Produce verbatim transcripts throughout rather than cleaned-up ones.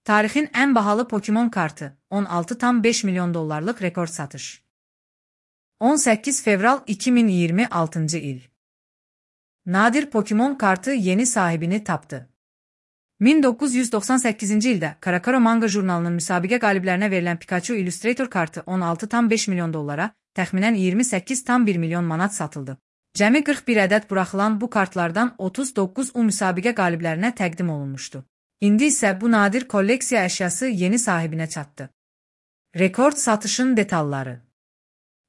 Tarixin ən bahalı Pokemon kartı, on altı tam beş milyon dollarlıq rekord satış. on səkkiz fevral iki min iyirmi altıncı il. Nadir Pokemon kartı yeni sahibini tapdı. min doqquz yüz doxsan səkkizinci ildə Karakaro Manga jurnalının müsabiqə qaliblərinə verilən Pikachu Illustrator kartı on altı tam beş milyon dollara, təxminən iyirmi səkkiz tam bir milyon manat satıldı. Cəmi qırx bir ədəd buraxılan bu kartlardan otuz doqquz u müsabiqə qaliblərinə təqdim olunmuşdu. İndi isə bu nadir kolleksiya əşyası yeni sahibinə çatdı. Rekord satışın detalları.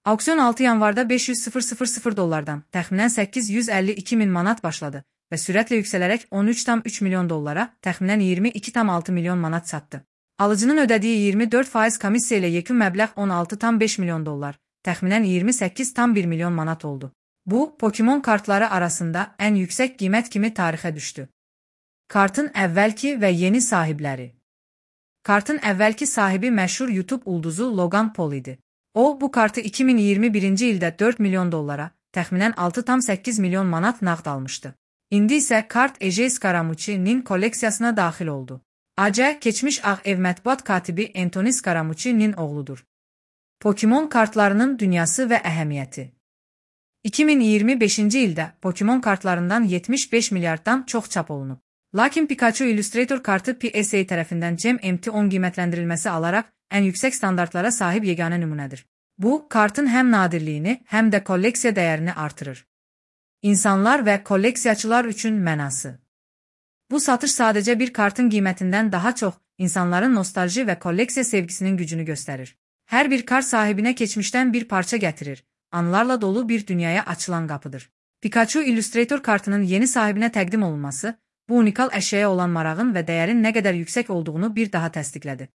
Auksion altı yanvarda beş yüz min dollardan, təxminən səkkiz yüz əlli iki min manat başladı və sürətlə yüksələrək on üç tam üç milyon dollara, təxminən iyirmi iki tam altı milyon manat satdı. Alıcının ödədiyi iyirmi dörd faiz komissiya ilə yekun məbləğ on altı tam beş milyon dollar, təxminən iyirmi səkkiz tam bir milyon manat oldu. Bu, Pokemon kartları arasında ən yüksək qiymət kimi tarixə düşdü. Kartın əvvəlki və yeni sahibləri. Kartın əvvəlki sahibi məşhur YouTube ulduzu Logan Paul idi. O, bu kartı iki min iyirmi birinci ildə dörd milyon dollara, təxminən altı tam səkkiz milyon manat nağd almışdı. İndi isə kart Ejei Scaramucci'nin kolleksiyasına daxil oldu. A C, keçmiş Ağ Ev mətbuat katibi Anthony Scaramucci'nin oğludur. Pokemon kartlarının dünyası və əhəmiyyəti. iki min iyirmi beşinci ildə Pokemon kartlarından yetmiş beş milyarddan çox çap olunub. Lakin Pikachu Illustrator kartı P S A tərəfindən C M T on qiymətləndirilməsi alaraq ən yüksək standartlara sahib yeganə nümunədir. Bu, kartın həm nadirliyini, həm də kolleksiya dəyərini artırır. İnsanlar və kolleksiyaçılar üçün mənası. Bu satış sadəcə bir kartın qiymətindən daha çox, insanların nostalji və kolleksiya sevgisinin gücünü göstərir. Hər bir kart sahibinə keçmişdən bir parça gətirir, anılarla dolu bir dünyaya açılan qapıdır. Pikachu Illustrator kartının yeni sahibinə təqdim olunması, bu unikal əşyaya olan marağın və dəyərin nə qədər yüksək olduğunu bir daha təsdiqlədi.